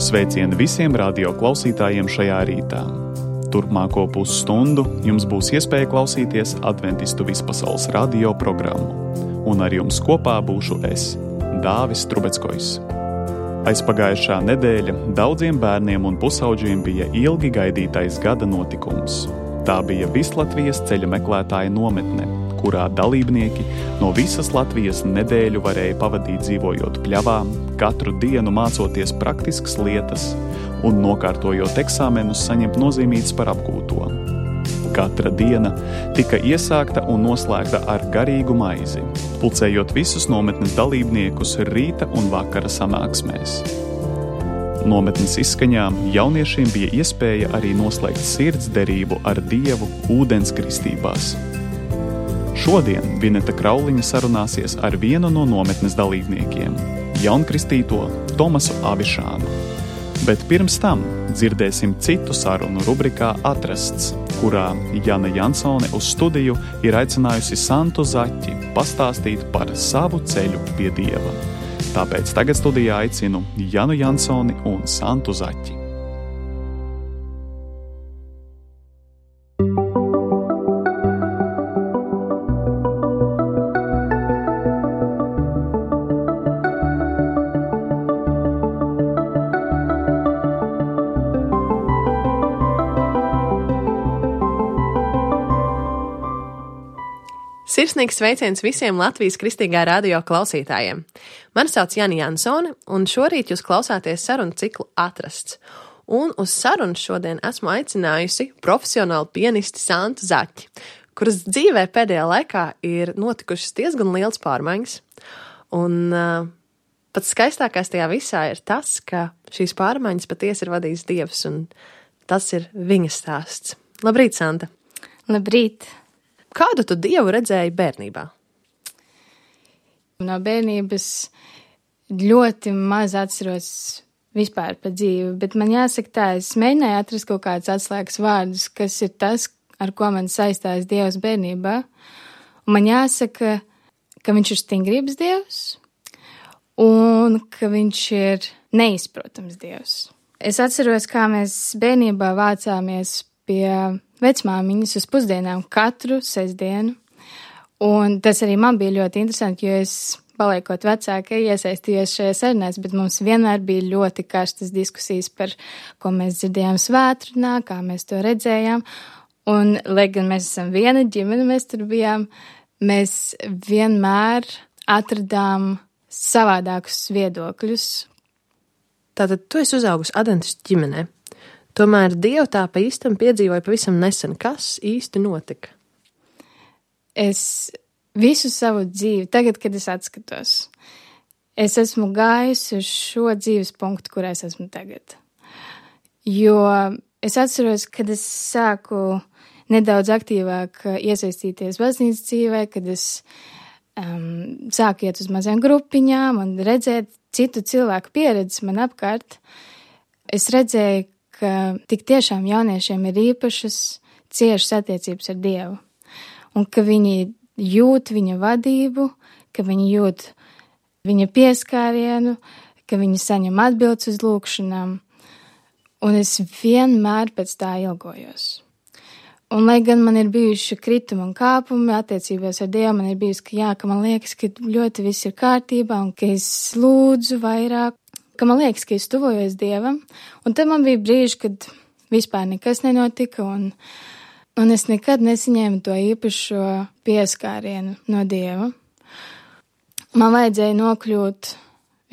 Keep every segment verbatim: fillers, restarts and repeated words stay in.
Sveicieni visiem radio klausītājiem šajā rītā. Turpmāko pusstundu jums būs iespēja klausīties Adventistu vispasaules radio programmu. Un ar jums kopā būšu es, Dāvis Trubeckojs. Aizpagājušā nedēļa daudziem bērniem un pusauģiem bija ilgi gaidītais gada notikums. Tā bija Vislatvijas ceļa meklētāja nometne, kurā dalībnieki no visas Latvijas nedēļu varēja pavadīt dzīvojot pļavā, katru dienu mācoties praktiskas lietas un nokārtojot eksāmenus saņemt nozīmītas par apgūto. Katra diena tika iesākta un noslēgta ar garīgu maizi, pulcējot visus nometnes dalībniekus rīta un vakara sanāksmēs. Nometnes izskaņā jauniešiem bija iespēja arī noslēgt sirds derību ar Dievu ūdens kristībās. Šodien Vineta Krauliņa sarunāsies ar vienu no nometnes dalībniekiem, jaunkristīto Tomasu Avišānu. Bet pirms tam dzirdēsim citu sarunu rubrikā Atrasts, kurā Jana Jansone uz studiju ir aicinājusi Santu Zaķi pastāstīt par savu ceļu pie Dieva. Tāpēc tagad studijā aicinu Janu Jansoni un Santu Zaķi. Sirsnīgs sveiciens visiem Latvijas kristīgā radio klausītājiem. Mani sauc Jana Jansone, un šorīt jūs klausāties sarunu ciklu Atrasts. Un uz sarunu šodien esmu aicinājusi profesionālu pianisti Santu Zaķi, kuras dzīvē pēdējā laikā ir notikušas diezgan liels pārmaiņas. Un uh, pats skaistākais tajā visā ir tas, ka šīs pārmaiņas patiesi ir vadījis Dievs, un tas ir viņa stāsts. Labrīt, Santa! Labrīt! Kādu tu Dievu redzēji bērnībā? No bērnības ļoti maz atceros vispār par dzīvi, bet man jāsaka tā, es mēģināju atrast kaut kādus atslēgas vārdus, kas ir tas, ar ko man saistās Dievs bērnībā. Un man jāsaka, ka viņš ir stingrības Dievs un ka viņš ir neizprotams Dievs. Es atceros, kā mēs bērnībā vācāmies pie vecmāmiņas uz pusdienām katru sestdienu, un tas arī man bija ļoti interesanti, jo es, paliekot vecāka, iesaistījos šajās sarunās, bet mums vienmēr bija ļoti karstas diskusijas par, ko mēs dzirdējām svētdienā, kā mēs to redzējām, un, lai gan mēs esam viena ģimene, mēs tur bijām, mēs vienmēr atradām savādākus viedokļus. Tātad tu esi uzaugusi adventistu ģimenē. Tomēr Dievu tā pa īstam piedzīvoja pavisam nesen. Kas īsti notika? Es visu savu dzīvi, tagad, kad es atskatos, es esmu gājusi uz šo dzīves punktu, kur es esmu tagad. Jo es atceros, kad es sāku nedaudz aktīvāk iesaistīties baznīcas dzīvē, kad es um, sāku iet uz mazām grupiņām un redzēt citu cilvēku pieredzes man apkārt, es redzēju, ka tik tiešām jauniešiem ir īpašas, ciešas attiecības ar Dievu, un ka viņi jūt viņa vadību, ka viņi jūt viņa pieskārienu, ka viņi saņem atbildes uz lūkšanām, un es vienmēr pēc tā ilgojos. Un, lai gan man ir bijuši kritumi un kāpumi attiecībās ar Dievu, man ir bijusi, ka jā, ka man liekas, ka ļoti viss ir kārtībā, un ka es lūdzu vairāk, ka man liekas, ka es tuvojos Dievam, un tad man bija brīži, kad vispār nekas nenotika, un, un es nekad nesaņēmu to īpašo pieskārienu no Dieva. Man vajadzēja nokļūt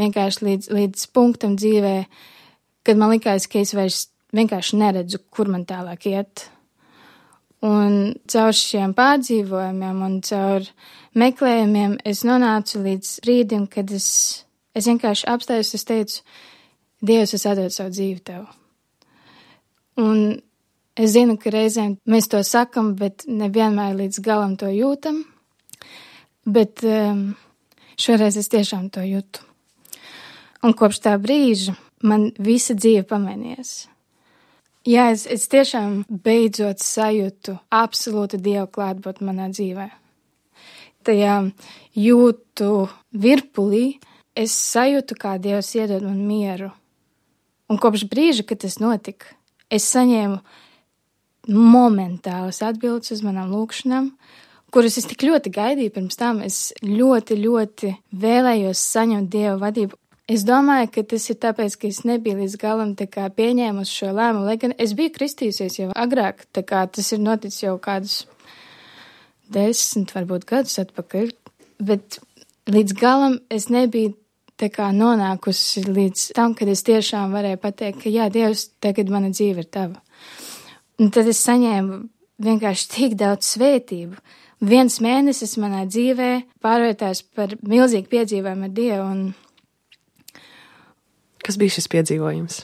vienkārši līdz, līdz punktam dzīvē, kad man likās, ka es vairs vienkārši neredzu, kur man tālāk iet. Un caur šiem pārdzīvojumiem un caur meklējumiem es nonācu līdz brīdim, kad es Es vienkārši apstājos, es teicu, Dievs, es atdodu savu dzīvi tev. Un es zinu, ka reizēm mēs to sakam, bet nevienmēr līdz galam to jūtam. Bet um, šoreiz es tiešām to jūtu. Un kopš tā brīža man visa dzīve pamainījās. Jā, es, es tiešām beidzot sajūtu absolūtu Dievu klātbūtni manā dzīvē. Tajā jūtu virpulī, es sajūtu, kā Dievs iedod man mieru. Un kopš brīža, kad tas notika, es saņēmu momentālas atbildes uz manām lūkšanām, kuras es tik ļoti gaidīju pirms tam. Es ļoti, ļoti vēlējos saņemt Dieva vadību. Es domāju, ka tas ir tāpēc, ka es nebiju līdz galam tā kā pieņēmusi šo lēmumu, lai gan es biju kristījusies jau agrāk, tā kā tas ir noticis jau kādus desmit, varbūt gadus atpakaļ, bet līdz galam es nebiju tā kā nonākusi līdz tam, kad es tiešām varēju pateikt, ka jā, Dievs, tagad mana dzīve ir tava. Un tad es saņēmu vienkārši tik daudz svētību. Viens mēnesis manā dzīvē pārvērtās par milzīgu piedzīvojumu ar Dievu. Un... Kas bija šis piedzīvojums?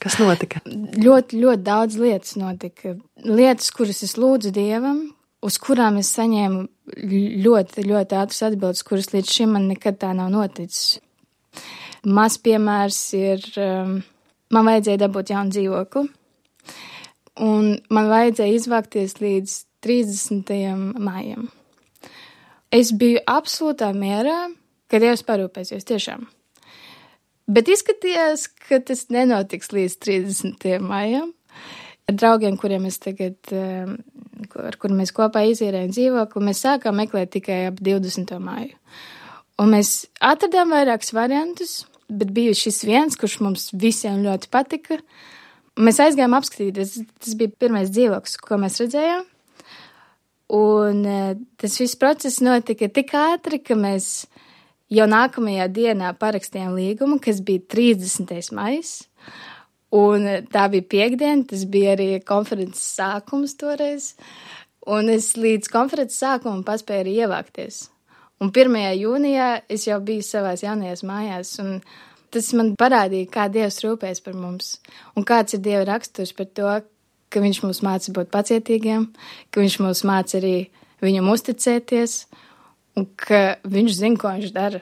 Kas notika? Ļoti, ļoti daudz lietas notika. Lietas, kuras es lūdzu Dievam, uz kurām es saņēmu ļoti, ļoti ātras atbildes, kuras līdz šim man nekad tā nav noticis. Maz piemērs ir, um, man vajadzēja dabūt jaunu dzīvokli, un man vajadzēja izvākties līdz trīsdesmitajam maijam. Es biju absolūtā mierā, ka Dievs parūpēsies tiešām. Bet izskatījās, ka tas nenotiks līdz trīsdesmitajam maijam. Ar draugiem, kuriem es tagad, ar kuriem mēs kopā izīrējam dzīvokli, mēs sākām meklēt tikai ap divdesmito maiju. Un mēs atradām vairākus variantus, bet bija šis viens, kurš mums visiem ļoti patika. Mēs aizgājām apskatīties, tas bija pirmais dzīvoklis, ko mēs redzējām. Un tas viss process notika tik ātri, ka mēs jau nākamajā dienā parakstījām līgumu, kas bija trīsdesmitais maijs, un tā bija piekdiena, tas bija arī konferences sākums toreiz, un es līdz konferences sākumam paspēju arī ievākties. Un pirmajā jūnijā es jau biju savās jaunajās mājās, un tas man parādīja, kā Dievs rūpēs par mums, un kāds ir Dieva raksturs par to, ka viņš mums māca būt pacietīgiem, ka viņš mums māca arī viņam uzticēties, un ka viņš zina, ko viņš dara.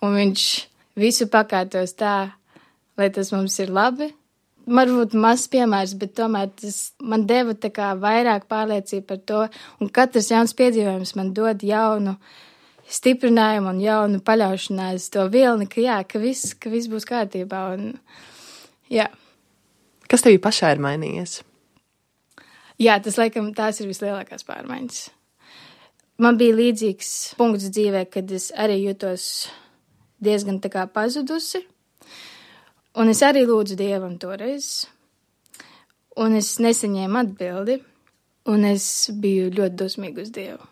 Un viņš visu pakārtos tā, lai tas mums ir labi. Varbūt mazs piemērs, bet tomēr tas man deva tā kā vairāk pārliecību par to. Un katrs jauns piedzīvojums man dod jaunu stiprinājumu un jaunu paļaušanās to vilni, ka jā, ka viss, ka viss būs kārtībā. Un, jā. Kas tevī pašā ir mainījies? Jā, tas laikam tās ir vislielākās pārmaiņas. Man bija līdzīgs punkts dzīvē, kad es arī jutos diezgan tā kā pazudusi, un es arī lūdzu Dievam toreiz, un es nesaņēmu atbildi, un es biju ļoti dusmīga uz Dievu.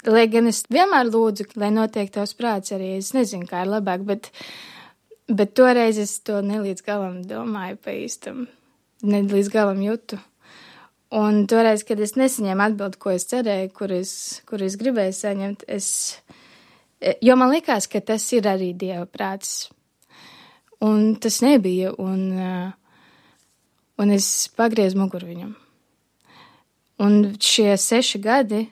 Lai gan es vienmēr lūdzu, lai notiek tavs prāts arī, es nezinu, kā ir labāk, bet, bet toreiz es to nelīdz galam domāju pa īstam, nelīdz galam jutu. Un toreiz, kad es nesaņēmu atbildi, ko es cerēju, kur es, kur es gribēju saņemt, es, jo man likās, ka tas ir arī Dieva prāts. Un tas nebija, un, un es pagriezu muguru viņam. Un šie seši gadi,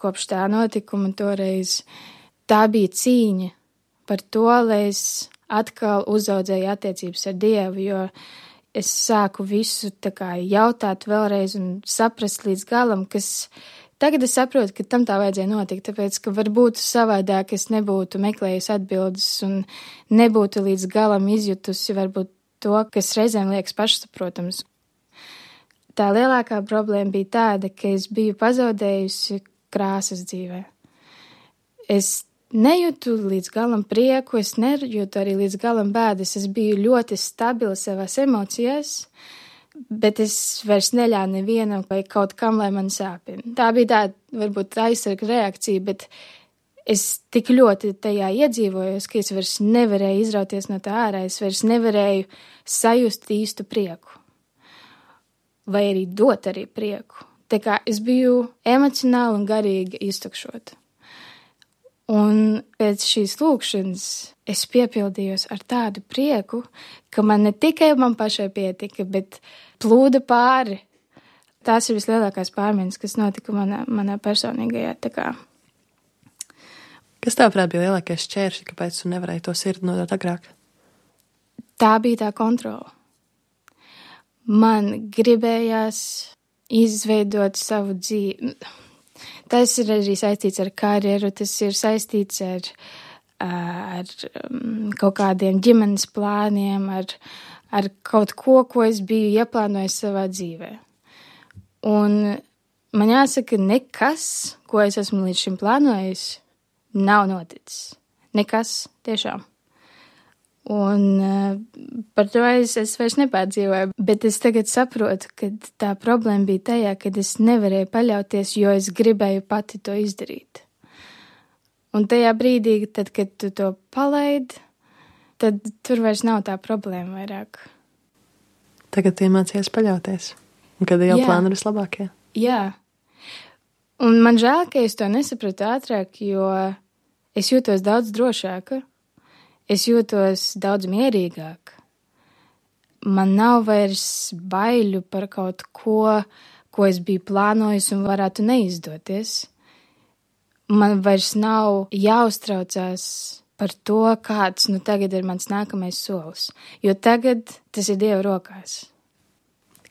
kopš tā notikuma toreiz, tā bija cīņa par to, lai es atkal uzaudzēju attiecības ar Dievu, jo es sāku visu tā kā jautāt vēlreiz un saprast līdz galam, kas tagad es saprotu, ka tam tā vajadzēja notikt, tāpēc, ka varbūt savādāk es nebūtu meklējusi atbildes un nebūtu līdz galam izjutusi varbūt to, kas reizēm liekas pašsaprotams. Tā lielākā problēma bija tāda, ka es biju pazaudējusi krāsas dzīvē. Es nejūtu līdz galam prieku, es nejūtu arī līdz galam bēdas. Es biju ļoti stabila savās emocijās, bet es vairs neļāvu nevienam vai kaut kam, lai man sāpina. Tā bija tāda, varbūt, aizsarga reakcija, bet es tik ļoti tajā iedzīvojos, ka es vairs nevarēju izrauties no tā ārā, es vairs nevarēju sajust īstu prieku. Vai arī dot arī prieku. Tā kā es biju emocionāli un garīgi iztukšota. Un pēc šīs lūkšanas es piepildījos ar tādu prieku, ka man ne tikai man pašai pietika, bet plūda pāri. Tās ir vislielākās pārmaiņas, kas notika manā, manā personīgajā tā kā. Kas tavuprāt bija lielākais šķēršļi, kāpēc tu nevarēji to sirdi nodot agrāk? Tā bija tā kontrola. Man gribējās izveidot savu dzīvi. Tas ir arī saistīts ar karjeru, tas ir saistīts ar, ar um, kaut kādiem ģimenes plāniem, ar, ar kaut ko, ko es biju ieplānojis savā dzīvē. Un man jāsaka, nekas, ko es esmu līdz šim plānojis, nav noticis. Nekas tiešām. Un uh, par to es, es vairs nepārdzīvoju, bet es tagad saprotu, ka tā problēma bija tajā, kad es nevarēju paļauties, jo es gribēju pati to izdarīt. Un tajā brīdī, tad, kad tu to palaidi, tad tur vairs nav tā problēma vairāk. Tagad tu iemācies paļauties, un kad jau Jā. plāni ir vislabākie. Jā. Un man žēl, ka es to nesapratu ātrāk, jo es jūtos daudz drošāka. Es jūtos daudz mierīgāk. Man nav vairs baiļu par kaut ko, ko es biju plānojis un varētu neizdoties. Man vairs nav jāuztraucās par to, kāds nu tagad ir mans nākamais solis, jo tagad tas ir Dieva rokās.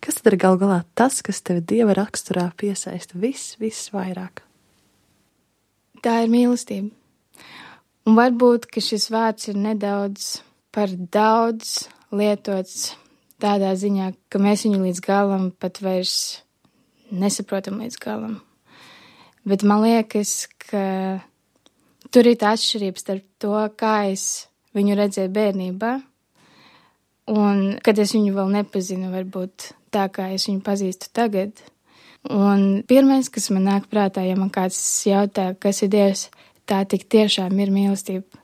Kas tad ir gal galā tas, kas tevi Dieva raksturā piesaista viss, viss vairāk? Tā ir mīlestība. Un varbūt, ka šis vārds ir nedaudz par daudz lietots tādā ziņā, ka mēs viņu līdz galam pat vairs nesaprotam līdz galam. Bet man liekas, ka tur ir tā atšķirība starp to, kā es viņu redzēju bērnībā, un kad es viņu vēl nepazinu, varbūt tā, kā es viņu pazīstu tagad. Un pirmais, kas man nāk prātā, ja man kāds jautā, kas ir Dievs, tā tik tiešām ir mīlestība.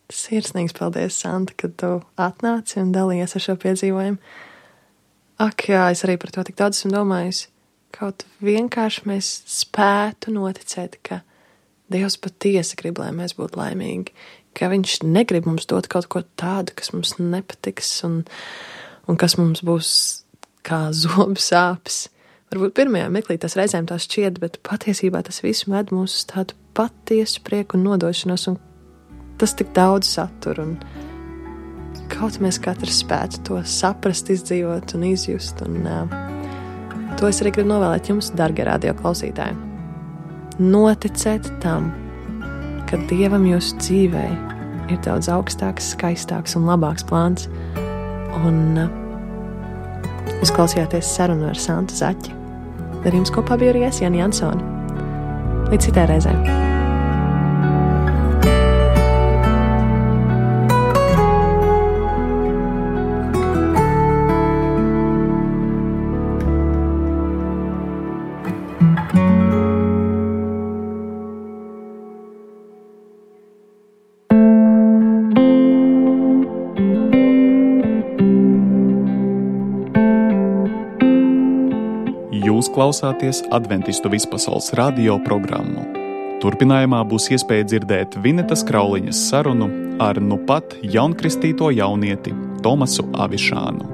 Sirsnīgs paldies, Santa, kad tu atnāci un dalījies ar šo piedzīvojumu. Ak, jā, es arī par to tik daudz esmu domājusi. Kaut vienkārši mēs spētu noticēt, ka Dievs patiesi grib, lai mēs būtu laimīgi, ka Viņš negrib mums dot kaut ko tādu, kas mums nepatiks un, un kas mums būs kā zobu sāpes. Varbūt pirmajā meklī tas reizēm tā šķiet, bet patiesībā tas viss ved mūs uz tādu patiesu prieku un nodošanos, un tas tik daudz satur, un kaut mēs katrs spētu to saprast, izdzīvot un izjust, un uh, to es arī gribu novēlēt jums, dargie radio klausītāji. Noticēt tam, ka Dievam jūsu dzīvē ir daudz augstāks, skaistāks un labāks plāns, un uh, jūs klausījāties sarunu ar Santu Zaķi. Ar jums kopā bija arī es, Jani Jansoni. Līdz citai reizē. Jūs klausāties Adventistu vispasaules radio programmu. Turpinājumā būs iespēja dzirdēt Vinetas Krauliņas sarunu ar nu pat jaunkristīto jaunieti Tomasu Avišānu.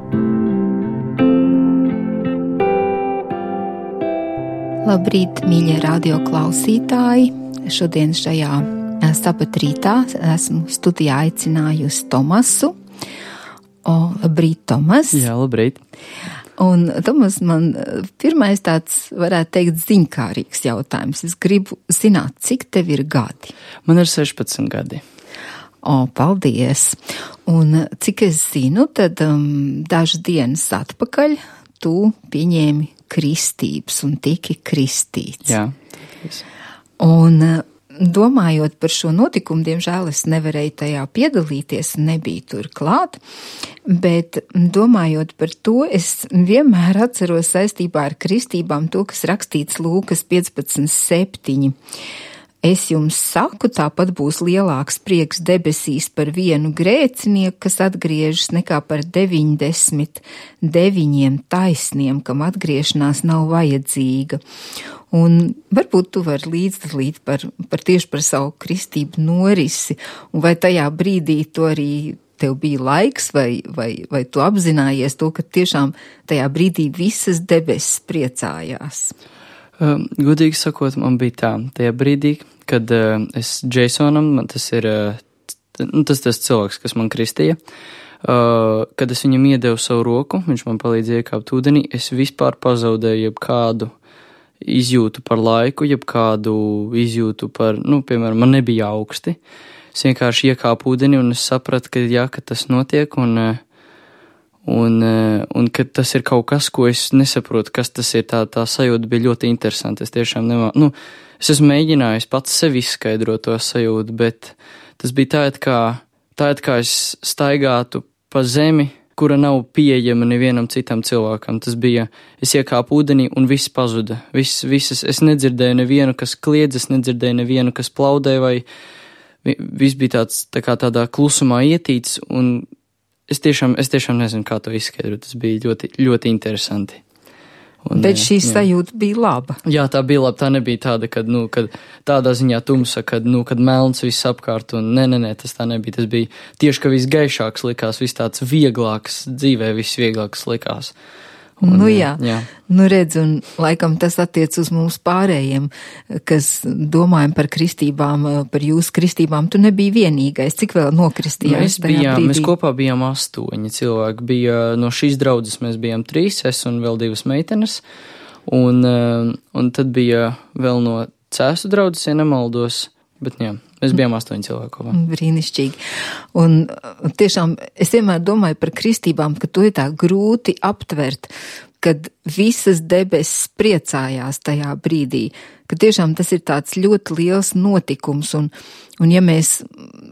Labrīt, mīļie radio klausītāji! Šodien šajā sabat rītā esmu studijā aicinājusi Tomasu. O, labrīt, Tomas! Jā, labrīt! Un, Tomas, man pirmais tāds, varētu teikt, ziņkārīgs jautājums. Es gribu zināt, cik tev ir gadi? Man ir sešpadsmit gadi. O, paldies! Un cik es zinu, tad um, dažas dienas atpakaļ tu pieņēmi kristības un tiki kristīts. Jā. Un domājot par šo notikumu, diemžēl es nevarēju tajā piedalīties, nebiju tur klāt, bet domājot par to, es vienmēr atceros saistībā ar kristībām to, kas rakstīts Lūkas piecpadsmit septiņi. Es jums saku, tāpat būs lielāks prieks debesīs par vienu grēcinieku, kas atgriežas, nekā par deviņdesmit deviņiem taisniem, kam atgriešanās nav vajadzīga. Un varbūt tu vari līdzdalīt par, par tieši par savu kristību norisi, un vai tajā brīdī tu arī tev bija laiks, vai, vai, vai tu apzinājies to, ka tiešām tajā brīdī visas debesis priecājās? Uh, Gudīgi sakot, man bija tā, tajā brīdī, kad uh, es Jasonam, man tas ir, uh, tas tas cilvēks, kas man kristīja, uh, kad es viņam iedevu savu roku, viņš man palīdzēja iekāpt ūdenī, es vispār pazaudēju jebkādu izjūtu par laiku, jebkādu izjūtu par, nu, piemēram, man nebija augsti. es vienkārši iekāpu ūdeni un es sapratu, ka jā, ka tas notiek un, un, un ka tas ir kaut kas, ko es nesaprotu, kas tas ir. Tā, tā sajūta bija ļoti interesanta. Es tiešām nemā, nu, es esmu mēģinājis pats sevi izskaidrot to sajūtu, bet tas bija tā, it kā, tā, it kā es staigātu pa zemi, kura nav pieejama nevienam citam cilvēkam. Tas bija, es iekāpu ūdenī un viss pazuda. Viss, visas, es nedzirdēju nevienu, kas kliedz, es nedzirdēju nevienu, kas plaudē, vai viss bija tāds, tā kā tādā klusumā ietīts, un es tiešām, es tiešām nezinu, kā to izskaidrot. Tas bija ļoti, ļoti interesanti. Un, Bet šī jā. sajūta bija laba. Jā, tā bija laba. Tā nebija tāda, kad, nu, kad tādā ziņā tumsa, kad, nu, kad melns viss apkārt, un nē, nē, nē, tas tā nebija. Tas bija tieši, ka viss gaišāks likās, viss tāds vieglāks, dzīvē viss vieglāks likās. Un, nu jā, jā, nu redz, un laikam tas attiec uz mums pārējiem, kas domājam par kristībām, par jūsu kristībām. Tu nebija vienīgais, cik vēl nokristījās mēs tajā bijām, brīdī? Mēs kopā bijām astoņi cilvēki. Bija, no šīs draudzes mēs bijām trīs, es un vēl divas meitenes, un, un tad bija vēl no Cēsu draudzes, ja nemaldos, bet jā. Mēs bijām astoņi cilvēki kopā. Brīnišķīgi. Un tiešām es vienmēr domāju par kristībām, ka to ir tā grūti aptvert, kad visas debesis priecājās tajā brīdī, ka tiešām tas ir tāds ļoti liels notikums, un, un ja mēs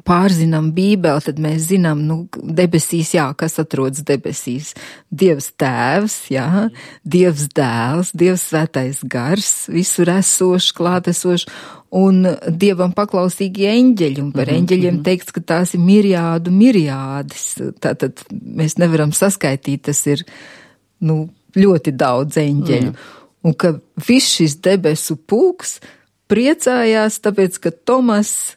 pārzinām Bībeli, tad mēs zinām, nu, debesīs, jā, kas atrodas debesīs. Dievs Tēvs, jā, Dievs Dēls, Dievs Svētais Gars, visur esošs, klātesošs, un Dievam paklausīgi eņģeļi, un par eņģeļiem teikts, ka tās ir mirjādu mirjādes. Tātad mēs nevaram saskaitīt, tas ir, nu, ļoti daudz eņģeļu. Un ka viss šis debesu pulks priecājās, tāpēc, ka Tomas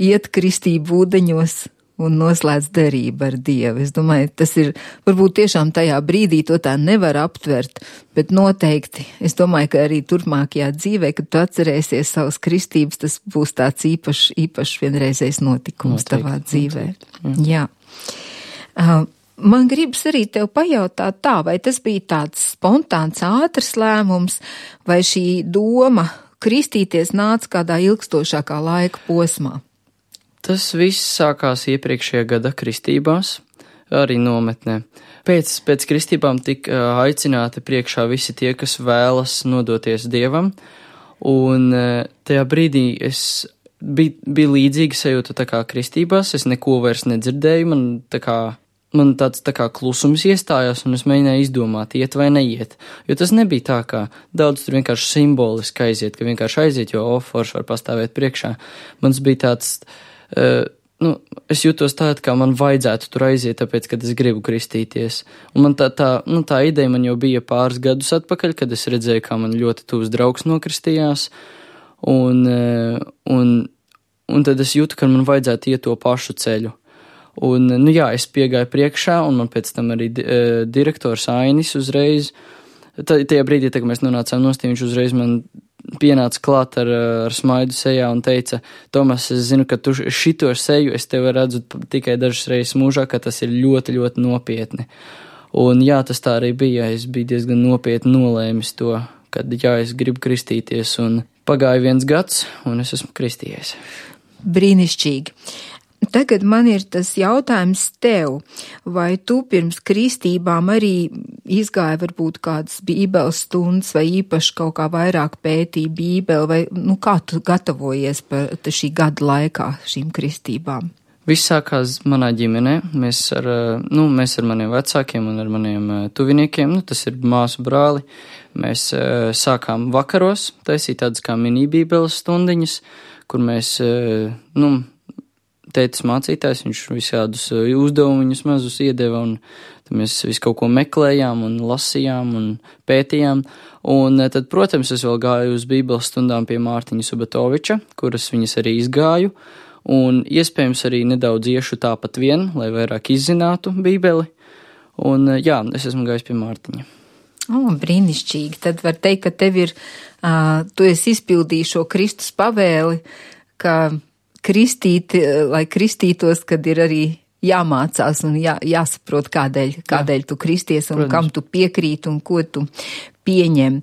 iet kristību ūdeņos un noslēdz derību ar Dievu. Es domāju, tas ir, varbūt tiešām tajā brīdī to tā nevar aptvert, bet noteikti, es domāju, ka arī turpmākajā dzīvē, kad tu atcerēsies savas kristības, tas būs tāds īpašs, īpašs vienreizējs notikums noteikti, tavā dzīvē. Noteikti, jā. jā. Uh, Man gribas arī tev pajautāt tā, vai tas bija tāds spontāns, ātrs lēmums, vai šī doma kristīties nāca kādā ilgstošākā laika posmā? Tas viss sākās iepriekšējā gada kristībās, arī nometnē. Pēc, pēc kristībām tika aicināti priekšā visi tie, kas vēlas nodoties Dievam, un tajā brīdī es bija, bija līdzīga sajūta tā kā kristībās, es neko vairs nedzirdēju, man tā kā Man tāds tā kā klusums iestājās, un es mēģināju izdomāt, iet vai neiet. Jo tas nebija tā, kā daudz tur vienkārši simboliski aiziet, ka vienkārši aiziet, jo ofors var pastāvēt priekšā. Mans bija tāds, uh, nu, es jūtos tā, kā man vajadzētu tur aiziet, tāpēc, kad es gribu kristīties. Un man tā, tā, nu, tā ideja man jau bija pāris gadus atpakaļ, kad es redzēju, kā man ļoti tuvs draugs nokristījās, un, uh, un, un tad es jūtu, ka man vajadzētu iet to pašu ceļu. Un, nu jā, es piegāju priekšā, un man pēc tam arī di direktors Ainis uzreiz, tajā brīdī, tā, kad mēs nonācām nost, viņš uzreiz man pienāca klāt ar, ar smaidu sejā un teica, Tomas, es zinu, ka tu šito seju es tevi redzu tikai dažas reizes mūžā, ka tas ir ļoti, ļoti nopietni. Un jā, tas tā arī bija, es biju diezgan nopietni nolēmis to, kad jā, es gribu kristīties, un pagāja viens gads, un es esmu kristījies. Brīnišķīgi. Tagad man ir tas jautājums tev, vai tu pirms kristībām arī izgāja varbūt kādas bībeles stundas vai īpaši kaut kā vairāk pētīja bībeli, vai nu, kā tu gatavojies par šī gada laikā šīm kristībām? Viss sākās manā ģimenē, mēs ar, nu, mēs ar maniem vecākiem un ar maniem tuviniekiem, nu, tas ir māsu brāli, mēs sākām vakaros taisīt tādas kā mini bībeles stundiņas, kur mēs, nu, tētis mācītājs, viņš visādus uzdevumus mazus iedeva, un tad mēs visu kaut ko meklējām un lasījām un pētījām. Un tad, protams, es vēl gāju uz bībeles stundām pie Mārtiņa Subatoviča, kuras viņas arī izgāju, un iespējams arī nedaudz iešu tāpat vien, lai vairāk izzinātu bībeli. Un jā, es esmu gājis pie Mārtiņa. O, brīnišķīgi. Tad var teikt, ka tev ir, uh, tu esi izpildījis šo Kristus pavēli, ka kristīt, lai kristītos, kad ir arī jāmācās un jā, jāsaprot, kādēļ, kādēļ tu kristies un Protams. Kam tu piekrīt un ko tu pieņem.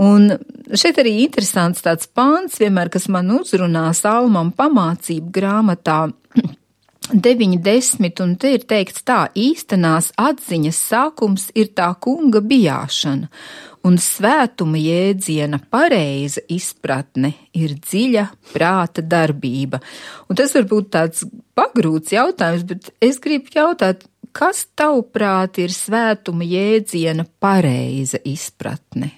Un šeit arī interesants tāds pāns, vienmēr, kas man uzrunā Salmam pamācību grāmatā deviņi desmit, un te ir teikts tā: īstenās atziņas sākums ir tā kunga bijāšana, un svētuma jēdziena pareiza izpratne ir dziļa prāta darbība. Un tas var būt tāds pagrūts jautājums, bet es gribu jautāt, kas tavuprāt ir svētuma jēdziena pareiza izpratne?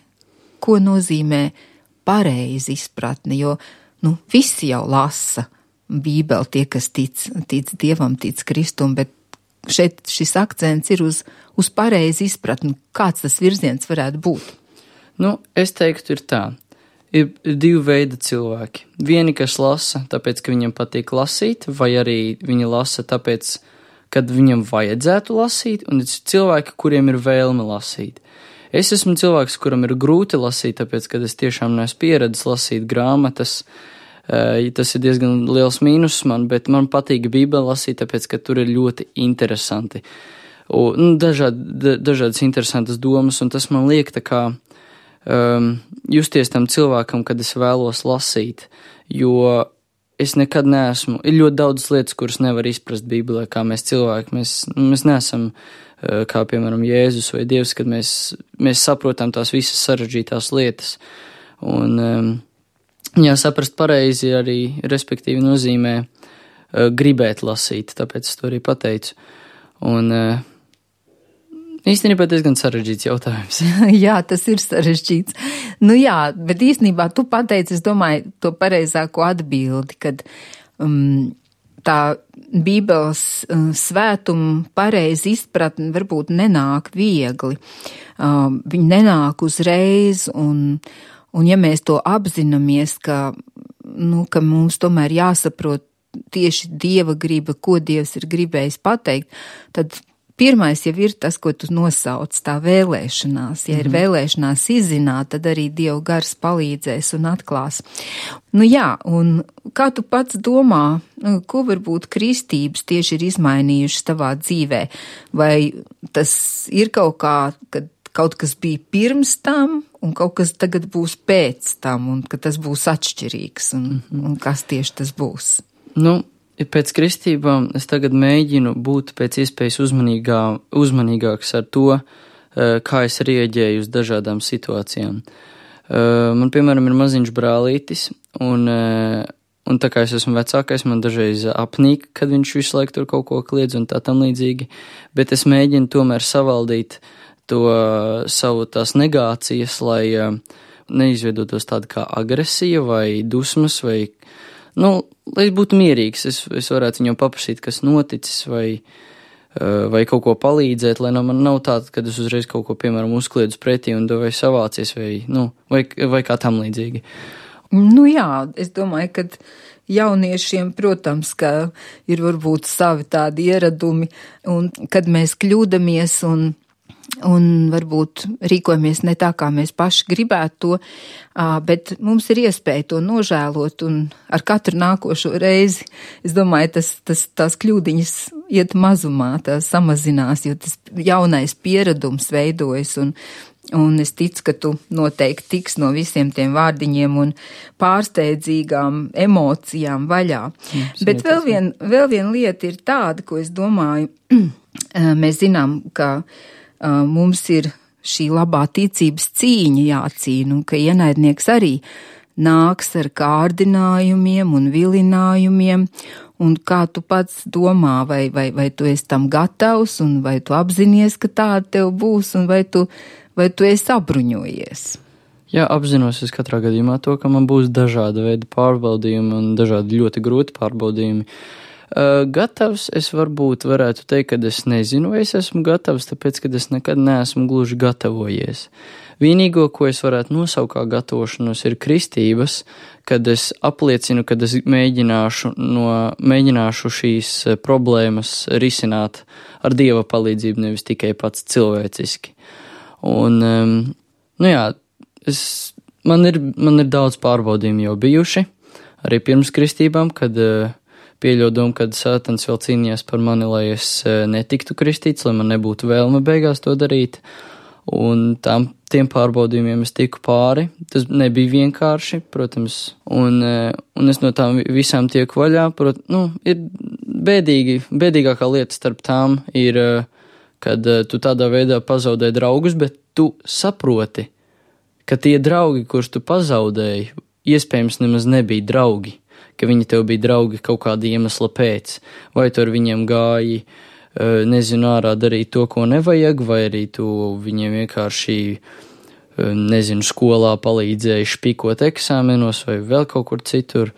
Ko nozīmē pareiza izpratne? Jo, nu, visi jau lasa Bībeli, tie, kas tic, tic Dievam, tic Kristum, bet šeit šis akcents ir uz, uz pareizi izpratni. Kāds tas virziens varētu būt? Nu, es teiktu, ir tā. Ir divi veidi cilvēki. Vieni, kas lasa, tāpēc, ka viņam patīk lasīt, vai arī viņi lasa tāpēc, kad viņam vajadzētu lasīt, un ir cilvēki, kuriem ir vēlme lasīt. Es esmu cilvēks, kuram ir grūti lasīt, tāpēc, kad es tiešām neesmu pieredzis lasīt grāmatas. Tas ir diezgan liels mīnus man, bet man patīk Bībeli lasīt, tāpēc, ka tur ir ļoti interesanti. Un, nu, dažādi, dažādas interesantas domas, un tas man liek tā kā um, justies tam cilvēkam, kad es vēlos lasīt, jo es nekad neesmu, ir ļoti daudz lietas, kuras nevar izprast Bībelē, kā mēs cilvēki, mēs, mēs neesam uh, kā, piemēram, Jēzus vai Dievs, kad mēs, mēs saprotam tās visas sarežģītās lietas. Un um, jā, saprast pareizi arī, respektīvi, nozīmē uh, gribēt lasīt, tāpēc es to arī pateicu. Un uh, īstenībā diezgan sarežģīts jautājums. Jā, tas ir sarežģīts. Nu jā, bet īstenībā tu pateici, es domāju, to pareizāko atbildi, kad um, tā Bībeles uh, svētuma pareizi izpratne varbūt nenāk viegli. Uh, viņi nenāk uzreiz un Un ja mēs to apzināmies, ka, nu, ka mums tomēr jāsaprot tieši Dieva griba, ko Dievs ir gribējis pateikt, tad pirmais jau ir tas, ko tu nosauc, tā vēlēšanās. Ja mm-hmm. ir vēlēšanās izzināt, tad arī Dieva gars palīdzēs un atklās. Nu jā, un kā tu pats domā, ko varbūt kristības tieši ir izmainījušas tavā dzīvē? Vai tas ir kaut kā, kad kaut kas bija pirms tam, un kaut kas tagad būs pēc tam, un ka tas būs atšķirīgs, un, mm-hmm. un kas tieši tas būs? Nu, pēc kristībām es tagad mēģinu būt pēc iespējas uzmanīgā, uzmanīgāks ar to, kā es rieģēju uz dažādām situācijām. Man, piemēram, ir maziņš brālītis, un, un tā kā es esmu vecākais, man dažreiz apnīk, kad viņš visu laiku tur kaut ko kliedz un tā tam līdzīgi, bet es mēģinu tomēr savaldīt to savu tās negācijas, lai neizveidotos tāda kā agresija vai dusmas, vai, nu, lai es būtu mierīgs, es, es varētu viņam paprasīt, kas noticis, vai, vai kaut ko palīdzēt, lai no man nav tāda, kad es uzreiz kaut ko, piemēram, uzkliedzu pretī un vai savācies, vai, nu, vai, vai kā tam līdzīgi. Nu jā, es domāju, ka jauniešiem, protams, ka ir varbūt savi tādi ieradumi, un kad mēs kļūdamies un un varbūt rīkojamies ne tā, kā mēs paši gribētu to, bet mums ir iespēja to nožēlot, un ar katru nākošo reizi, es domāju, tas, tas, tās kļūdiņas iet mazumā, tās samazinās, jo tas jaunais pieredums veidojas, un, un es ticu, ka tu noteikti tiks no visiem tiem vārdiņiem un pārsteidzīgām emocijām vaļā. Jums, bet vēl vien, vēl vien lieta ir tāda, ko es domāju, mēs zinām, ka Uh, mums ir šī labā ticības cīņa jācīna, un ka ienaidnieks arī nāks ar kārdinājumiem un vilinājumiem, un kā tu pats domā, vai, vai, vai tu esi tam gatavs, un vai tu apzinies, ka tāda tev būs, un vai tu, vai tu esi apbruņojies? Jā, apzinos es katrā gadījumā to, ka man būs dažāda veida pārbaudījumi un dažādi ļoti grūti pārbaudījumi. Uh, gatavs es varbūt varētu teikt, ka es nezinu, vai es esmu gatavs, tāpēc, ka es nekad neesmu gluži gatavojies. Vienīgo, ko es varētu nosaukt kā gatavošanos, ir kristības, kad es apliecinu, kad es mēģināšu, no, mēģināšu šīs problēmas risināt ar Dieva palīdzību, nevis tikai pats cilvēciski. Un, um, nu jā, es, man, ir, man ir daudz pārbaudījumi jau bijuši, arī pirms kristībām, kad uh, pieļauju domu, kad Sātans vēl cīnījās par mani, lai es netiktu kristīts, lai man nebūtu vēlme beigās to darīt. Un tām, tiem pārbaudījumiem es tiku pāri. Tas nebija vienkārši, protams, un, un es no tām visām tieku vaļā. Prot, nu, ir bēdīgi, bēdīgākā lieta starp tām ir, kad tu tādā veidā pazaudē draugus, bet tu saproti, ka tie draugi, kurus tu pazaudēji, iespējams nemaz nebija draugi, ka viņi tev bija draugi kaut kāda iemesla pēc, vai tu ar viņiem gāji, nezinu, ārā darīt to, ko nevajag, vai arī tu viņiem vienkārši, nezinu, skolā palīdzēji špikot eksāmenos vai vēl kaut kur citur.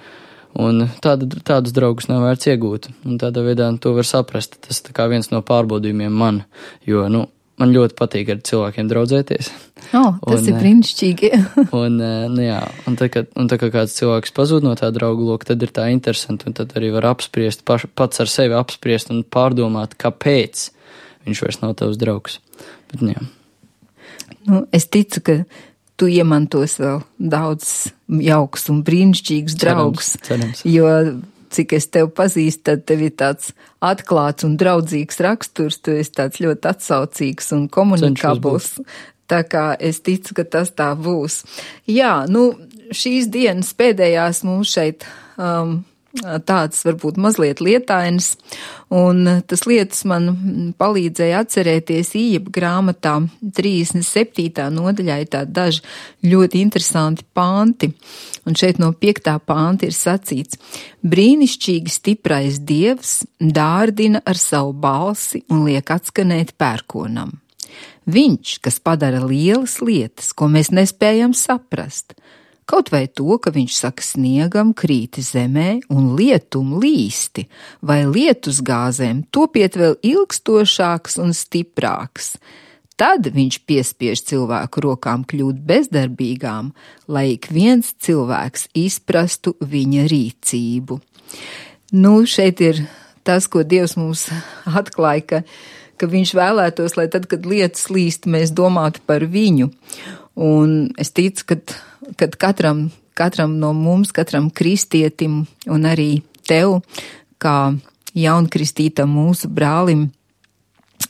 Un tāda, tādus draugus nav vērts iegūt. Un tādā veidā to var saprast. Tas tā kā viens no pārbaudījumiem man, jo, nu, man ļoti patīk ar cilvēkiem draudzēties. Oh, tas un, ir brīnišķīgi. un, nu jā, un tā, kad, un tā kā kāds cilvēks pazūd no tā draugu loka, tad ir tā interesanti, un tad arī var apspriest, paš, pats ar sevi apspriest un pārdomāt, kāpēc viņš vairs nav tavs draugs. Bet, jā. Nu, es ticu, ka tu iemantos vēl daudz jauks un brīnišķīgus draugus, cerams, cerams. Jo cik es tev pazīstu, tad tev ir tāds atklāts un draudzīgs raksturs, tu esi tāds ļoti atsaucīgs un komunikabls. Tā kā es ticu, ka tas tā būs. Jā, nu, šīs dienas pēdējās mums šeit um, tāds varbūt mazliet lietainas, un tas lietas man palīdzēja atcerēties Ījeba grāmatā trīsdesmit septītā nodaļā ir tādi daži ļoti interesanti panti, un šeit no piektā panta ir sacīts: brīnišķīgi stiprais Dievs dārdina ar savu balsi un liek atskanēt pērkonam. Viņš, kas padara lielas lietas, ko mēs nespējam saprast, kaut vai to, ka viņš saka sniegam krīti zemē un lietum līsti, vai lietus gāzēm topiet vēl ilgstošāks un stiprāks. Tad viņš piespiež cilvēku rokām kļūt bezdarbīgām, lai ik viens cilvēks izprastu viņa rīcību. Nu, šeit ir tas, ko Dievs mums atklāja, ka ka viņš vēlētos, lai tad, kad lietas līst, mēs domātu par viņu. Un es ticu, ka kad katram, katram no mums, katram kristietim un arī tev, kā jaunkristītam mūsu brālim,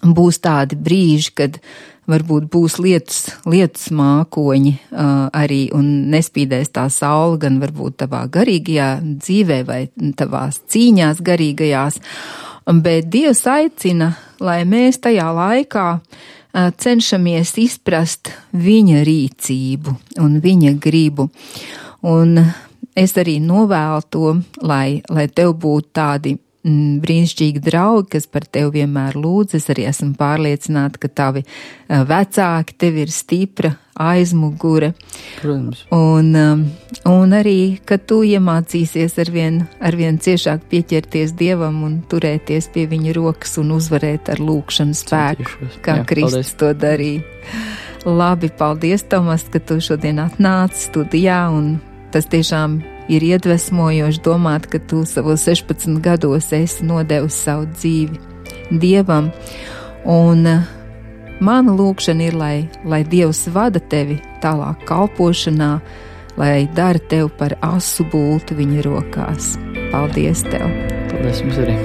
būs tādi brīži, kad varbūt būs lietus, lietus mākoņi uh, arī un nespīdēs tā saule gan varbūt tavā garīgajā dzīvē vai tavās cīņās garīgajās. Bet Dievs aicina, lai mēs tajā laikā cenšamies izprast viņa rīcību un viņa gribu. Un es arī novēlu to, lai, lai tev būtu tādi mm, brīnišķīgi draugi, kas par tevi vienmēr lūdz. Es arī esmu pārliecināta, ka tavi vecāki tev ir stipra aizmugure. Protams. Un, un arī, ka tu iemācīsies arvien, arvien ciešāk pieķerties Dievam un turēties pie viņa rokas un uzvarēt ar lūkšanu spēku, Centīšos. Kā Jā, Kristus paldies. To darīja. Labi, paldies, Tomas, ka tu šodien atnāci studijā, un tas tiešām ir iedvesmojoši domāt, ka tu savos sešpadsmit gados esi nodevis savu dzīvi Dievam. Un mana lūkšana ir, lai, lai Dievs vada tevi tālāk kalpošanā, lai dara tev par asu bultu viņa rokās. Paldies tev! Paldies jums arī!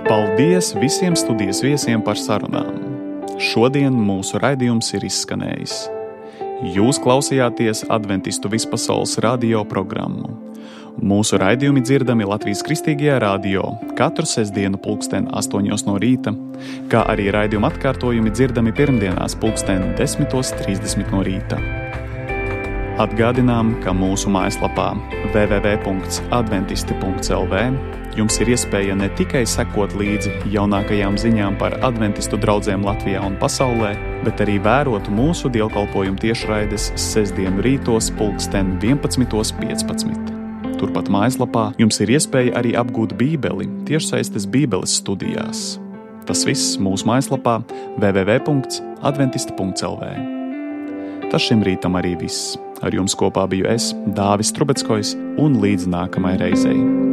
Paldies visiem studijas viesiem par sarunām. Šodien mūsu raidījums ir izskanējis. Jūs klausījāties Adventistu vispasaules radio programmu. Mūsu raidījumi dzirdami Latvijas Kristīgajā radio katru sestdienu pulksten astoņos no rīta, kā arī raidījuma atkārtojumi dzirdami pirmdienās pulksten desmitos trīsdesmit no rīta. Atgādinām, ka mūsu mājaslapā w w w punkts adventisti punkts l v jums ir iespēja ne tikai sekot līdzi jaunākajām ziņām par adventistu draudzēm Latvijā un pasaulē, bet arī vērot mūsu dievkalpojumu tiešraides sestdienu rītos pulksten vienpadsmitos piecpadsmit. Turpat mājaslapā jums ir iespēja arī apgūt bībeli tiešsaistes bībeles studijās. Tas viss mūsu mājaslapā w w w punkts adventisti punkts l v. Tas šim rītam arī viss. Ar jums kopā biju es, Dāvis Trubeckojs, un līdz nākamai reizei.